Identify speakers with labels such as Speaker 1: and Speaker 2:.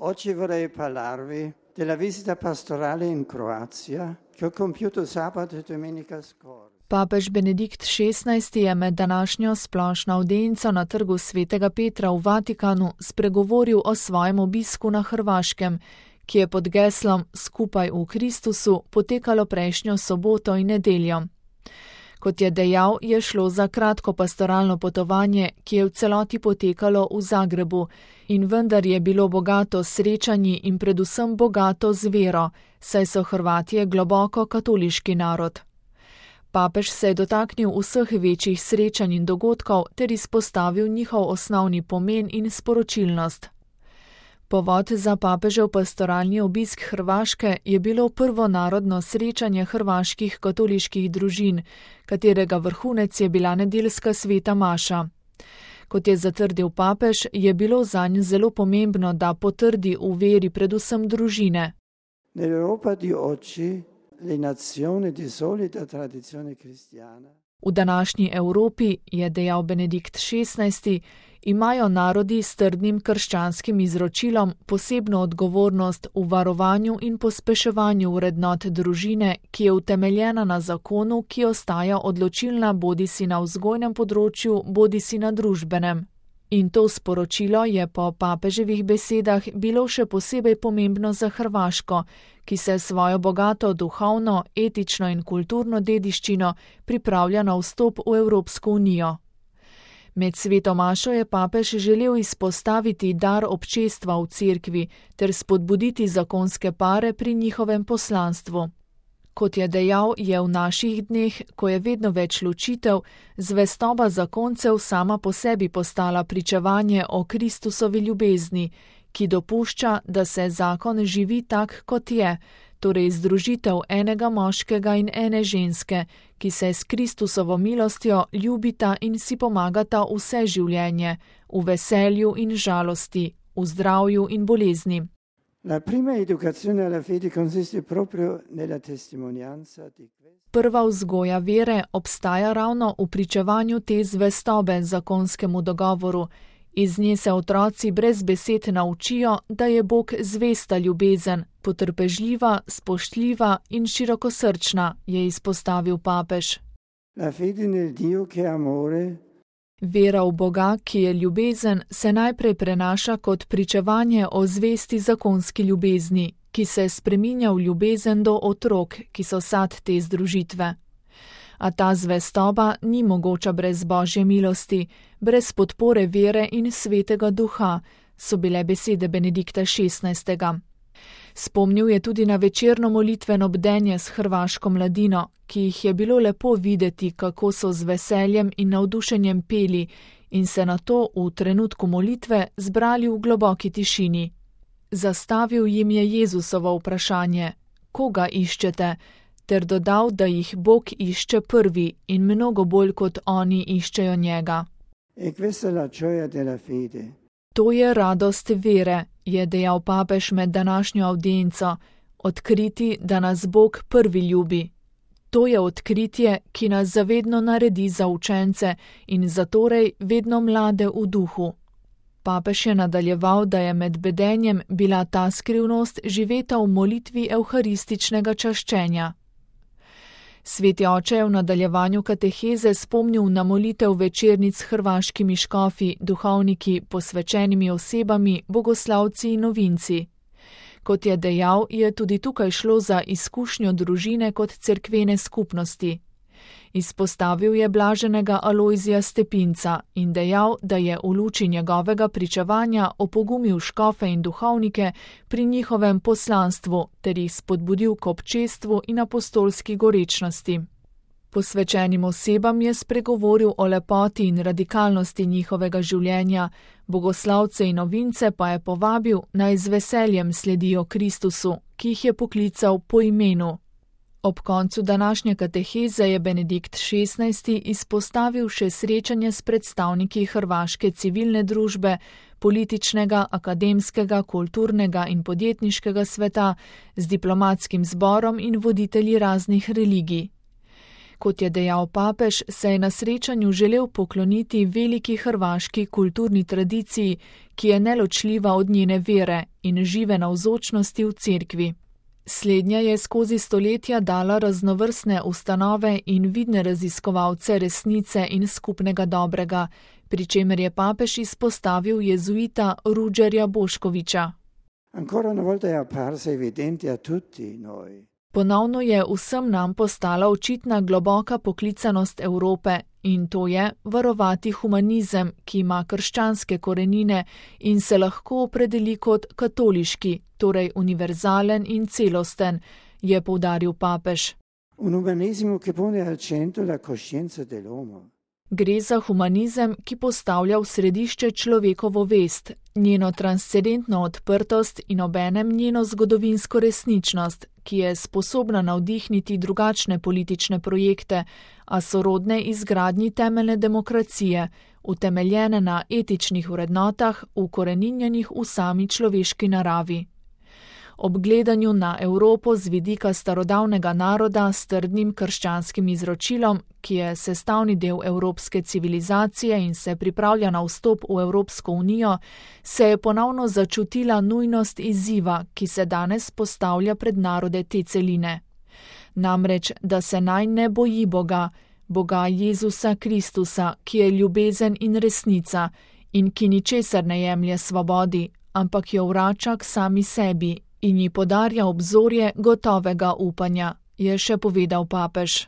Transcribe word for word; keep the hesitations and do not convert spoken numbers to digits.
Speaker 1: Oggi vorrei parlarvi della visita pastorale in Croazia che ho compiuto sabato e domenica scorsa.
Speaker 2: Papež Benedikt šestnajsti je med današnjo splošno avdienco na trgu Svetega Petra v Vatikanu spregovoril o svojem obisku na Hrvaškem, ki je pod geslom Skupaj v Kristusu potekalo prejšnjo soboto in nedeljo. Kot je dejal, je šlo za kratko pastoralno potovanje, ki je v celoti potekalo v Zagrebu, in vendar je bilo bogato s srečanji in predvsem bogato z vero, saj so Hrvatje globoko katoliški narod. Papež se je dotaknil vseh večjih srečanj in dogodkov ter izpostavil njihov osnovni pomen in sporočilnost. Povod za papežev pastoralni obisk Hrvaške je bilo prvo narodno srečanje hrvaških katoliških družin, katerega vrhunec je bila nedeljska sveta maša. Kot je zatrdil papež, je bilo zanj zelo pomembno, da potrdi v veri predvsem družine.
Speaker 1: Nell'Europa di oggi le nazioni di solida tradizione cristiana.
Speaker 2: V današnji Evropi, je dejal Benedikt šestnajsti, imajo narodi s trdnim krščanskim izročilom posebno odgovornost v varovanju in pospeševanju vrednot družine, ki je utemeljena na zakonu, ki ostaja odločilna bodisi na vzgojnem področju, bodisi na družbenem. In to sporočilo je po papeževih besedah bilo še posebej pomembno za Hrvaško, ki se svojo bogato duhovno, etično in kulturno dediščino pripravlja na vstop v Evropsko unijo. Med sveto mašo je papež želel izpostaviti dar občestva v cerkvi ter spodbuditi zakonske pare pri njihovem poslanstvu. Kot je dejal, je v naših dneh, ko je vedno več ločitev, zvestoba zakoncev sama po sebi postala pričevanje o Kristusovi ljubezni, ki dopušča, da se zakon živi tak, kot je, torej združitev enega moškega in ene ženske, ki se s Kristusovo milostjo ljubita in si pomagata vse življenje, v veselju in žalosti, v zdravju in bolezni.
Speaker 1: La prima educazione alla fede consiste proprio nella testimonianza di questo.
Speaker 2: Prva vzgoja vere obstaja ravno v pričevanju te zvestobe zakonskemu dogovoru. Iz nje se otroci brez besed naučijo, da je Bog zvesta ljubezen, potrpežljiva, spoštljiva in širokosrčna, je izpostavil papež.
Speaker 1: La fede nel Dio che è amore.
Speaker 2: Vera v Boga, ki je ljubezen, se najprej prenaša kot pričevanje o zvesti zakonski ljubezni, ki se spreminja v ljubezen do otrok, ki so sad te združitve. A ta zvestoba ni mogoča brez Božje milosti, brez podpore vere in svetega duha, so bile besede Benedikta šestnajstega. Spomnil je tudi na večerno molitveno bdenje s hrvaško mladino, ki jih je bilo lepo videti, kako so z veseljem in navdušenjem peli in se nato v trenutku molitve zbrali v globoki tišini. Zastavil jim je Jezusovo vprašanje, koga iščete, ter dodal, da jih Bog išče prvi in mnogo bolj kot oni iščejo njega.
Speaker 1: E questa è la gioia della fede.
Speaker 2: To je radost vere, je dejal papež med današnjo avdienco, odkriti, da nas Bog prvi ljubi. To je odkritje, ki nas zavedno naredi za učence in zatorej vedno mlade v duhu. Papež je nadaljeval, da je med bedenjem bila ta skrivnost živeta v molitvi evharističnega čaščenja. Sveti oče je v nadaljevanju kateheze spomnil na molitev večernic s hrvaškimi škofi, duhovniki, posvečenimi osebami, bogoslavci in novinci. Kot je dejal, je tudi tukaj šlo za izkušnjo družine kot cerkvene skupnosti. Izpostavil je blaženega Alojzija Stepinca in dejal, da je v luči njegovega pričevanja opogumil škofe in duhovnike pri njihovem poslanstvu ter jih spodbudil k občestvu in apostolski gorečnosti. Posvečenim osebam je spregovoril o lepoti in radikalnosti njihovega življenja, bogoslavce in novince pa je povabil, naj z veseljem sledijo Kristusu, ki jih je poklical po imenu. Ob koncu današnje kateheze je Benedikt šestnajsti izpostavil še srečanje s predstavniki hrvaške civilne družbe, političnega, akademskega, kulturnega in podjetniškega sveta, z diplomatskim zborom in voditelji raznih religij. Kot je dejal papež, se je na srečanju želel pokloniti veliki hrvaški kulturni tradiciji, ki je neločljiva od njene vere in žive navzočnosti v cerkvi. Slednja je skozi stoletja dala raznovrstne ustanove in vidne raziskovalce resnice in skupnega dobrega, pri čemer je papež izpostavil jezuita Ruđerja Boškovića.
Speaker 1: Ancora una volta è apparsa evidente a tutti noi.
Speaker 2: Ponovno je vsem nam postala očitna globoka poklicanost Evrope in to je varovati humanizem, ki ima krščanske korenine in se lahko opredeli kot katoliški, torej univerzalen in celosten, je poudaril papež.
Speaker 1: Un umanesimo che pone al centro la coscienza dell'uomo.
Speaker 2: Gre za humanizem, ki postavlja v središče človekovo vest, njeno transcendentno odprtost in obenem njeno zgodovinsko resničnost, ki je sposobna navdihniti drugačne politične projekte, a sorodne izgradnji temeljne demokracije, utemeljene na etičnih vrednotah, ukoreninjenih v sami človeški naravi. Ob gledanju na Evropo z vidika starodavnega naroda s trdnim krščanskim izročilom, ki je sestavni del evropske civilizacije in se pripravlja na vstop v Evropsko unijo, se je ponovno začutila nujnost izziva, ki se danes postavlja pred narode te celine. Namreč, da se naj ne boji Boga, Boga Jezusa Kristusa, ki je ljubezen in resnica in ki ničesar ne jemlje svobodi, ampak jo vrača k sami sebi in ji podarja obzorje gotovega upanja, je še povedal papež.